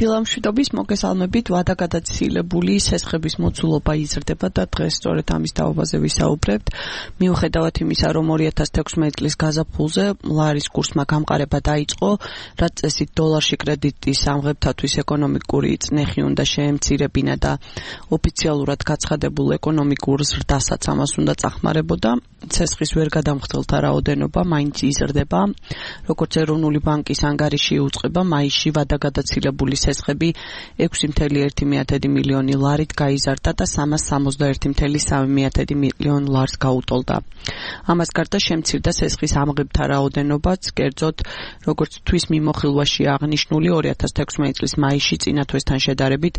დილამშვიდობის მოგესალმებით. ვადაგადაცილებული სესხების მოცულობა იზრდება და დღეს სწორედ ამის თაობაზე ვისაუბრებთ. მიუხედავად იმისა, რომ 2016 წლის გაზაფხულზე ლარის კურსმა გამყარება დაიწყო, რაც წესით დოლარში კრედიტის ამღებთათვის ეკონომიკური წნეხი უნდა შეემცირებინა და ოფიციალურად გაცხადებულ ეკონომიკურ ზრდასაც ამას უნდა წახმარებოდა. სესხის ვერ გადამხდელთა რაოდენობა მაინც იზრდება. როგორც ეროვნული ბანკის ანგარიში უწყება, მაისში ვადაგადაცილებული სესხები 6.1 მილიონი ლარით გაიზარდა და 361.3 მილიონ ლარს გაუტოლდა. ამას გარდა შემცირდა სესხის ამღებთა რაოდენობაც, კერძოდ, როგორც თვის მიმოხილვაში აღნიშნული 2016 წლის მაისში წინა თვესთან შედარებით,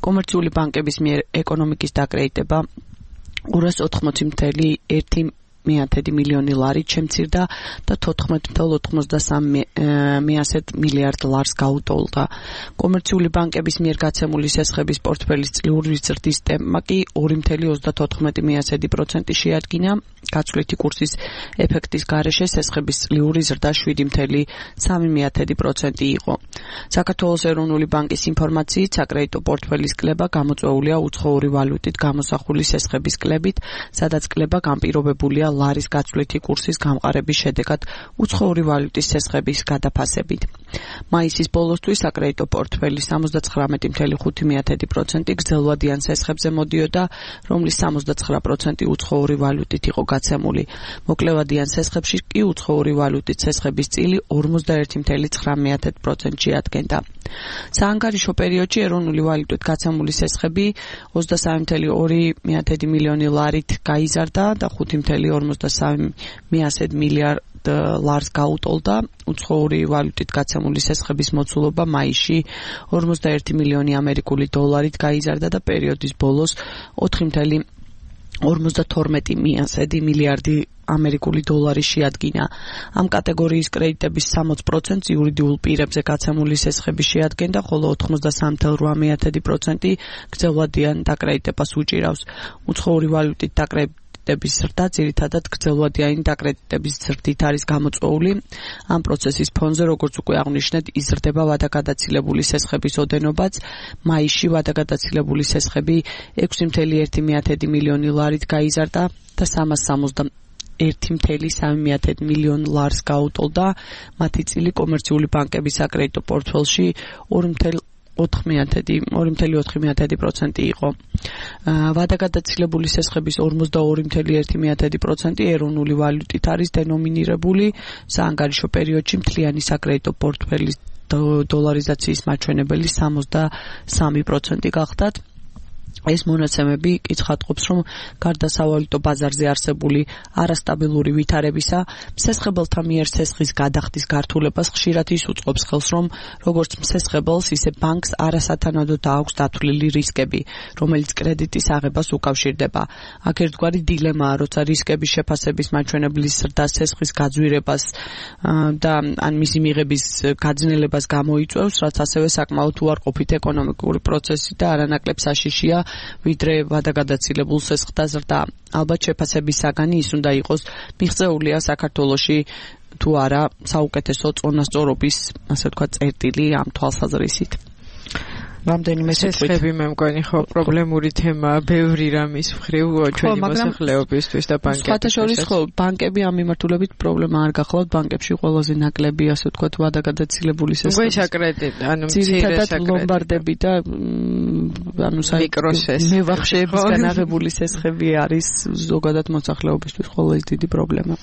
კომერციული ბანკების მიერ ეკონომიკის დაკრედიტება 280.1 მილიონი ლარით შემცირდა და 14.93 მილიარდ ლარს გაუტოლდა. კომერციული ბანკების მიერ გაცემული სესხების პორტფელის წლიური ზრდის ტემპმა კი 2.30% შეადგინა. გაცვლითი კურსის ეფექტის გარეშე სესხების წლიური ზრდა 7.3% იყო. საქართველოს ეროვნული ბანკის ინფორმაციით, საკრედიტო პორტფელის კლება გამოწვეულია უცხოური ვალუტით გამოსახული სესხების კლებით, სადაც კლება განპირობებულია ლარის გაცვლითი კურსის გამყარების შედეგად უცხოური ვალუტის სესხების გადაფასებით. მაისის ბოლოსთვის საკრედიტო პორტფელი 79.5% გრძელვადიან სესხებზე მოდიოდა, რომლის 79% უცხოური ვალუტით იყო გაცემული. მოკლევადიან სესხებში კი უცხოური ვალუტით სესხების წილი 41.9% შეადგენდა. საანგარიშო პერიოდში ეროვნული ვალუტით გაცემული სესხები 23.2 მილიონი ლარით გაიზარდა და 5.53 მილიარდ ლარს გაუტოლდა. უცხოური ვალუტით გაცემული სესხების მოცულობა მაისში 41 მილიონი ამერიკული დოლარით გაიზარდა და პერიოდის ბოლოს 4.52 მილიარდი ამერიკული დოლარი შეადგინა. ამ კატეგორიის კრედიტების 60% იურიდიულ პირებზე გაცემული სესხები შეადგენდა, ხოლო 83.8% გრძელვადიან დაკრედიტებას უჭირავს. უცხოური ვალუტით დაკრედიტების ზრდა ძირითადად გრძელვადიანი დაკრედიტების ზრდით არის გამოწვეული. ამ პროცესის ფონზე, როგორც უკვე აღვნიშნეთ, იზრდება ვადაგადაცილებული სესხების ოდენობაც. მაისში ვადაგადაცილებული სესხები 6.1 მილიონი ლარით გაიზარდა და 3.3 მილიონ ლარს გაუტოლდა. მათი წილი კომერციული ბანკების საკრედიტო პორტფელში 2.4% იყო. ვადაგადაცილებული სესხების 42.1% ეროვნული ვალუტით არის დენომინირებული. საანგარიშო პერიოდში მთლიანი საკრედიტო პორტფელის დოლარიზაციის მაჩვენებელი 63% გახდათ. ეს მონაცემები კითხატყობს, რომ გარდა სავალუტო ბაზარზე არსებული არასტაბილური ვითარებისა, მსესხებელთა მიერ სესხის გადახდის გართულებას ხშირად ის უწყობს ხელს, რომ როგორც მსესხებელს, ისე ბანკს არასათანადოდ აქვს დათვლილი რისკები, რომელიც კრედიტის აღებას უკავშირდება. აქ ერთგვარი დილემაა, როცა რისკების შეფასების მაჩვენებლის ზრდა სესხის გაძვირებას და ან მისი მიღების გაძნელებას გამოიწვევს, რაც ასევე საკმაოდ უარყოფით ეკონომიკური პროცესი და არანაკლებ საშიშია ვიდრე ვადაგადაცილებულ სესხთა ზრდა. ალბათ შეფასების საგანი ის უნდა იყოს, მიღწეულია საქართველოში თუ არა საუკეთესო წონასწორობის, ასე ვთქვათ, წერტილი ამ თვალსაზრისით. რამდენიმე სესხები მე მგონი ხო პრობლემური თემაა, ბევრი რამის მხრივ ჩვენი მოსახლეობისთვის და ბანკებისთვის. სხვათა შორის ხო, ბანკები ამ მიმართულებით პრობლემა არ გახლავთ, ბანკებში ყველაზე ნაკლები, ასე ვთქვათ, ვადაგადაცილებული სესხები. უკვე საკრედიტ, ანუ ძირითადად ლომბარდები და ანუ მევახშეებისგან აღებული სესხები არის ზოგადად მოსახლეობისთვის ყველაზე დიდი პრობლემა.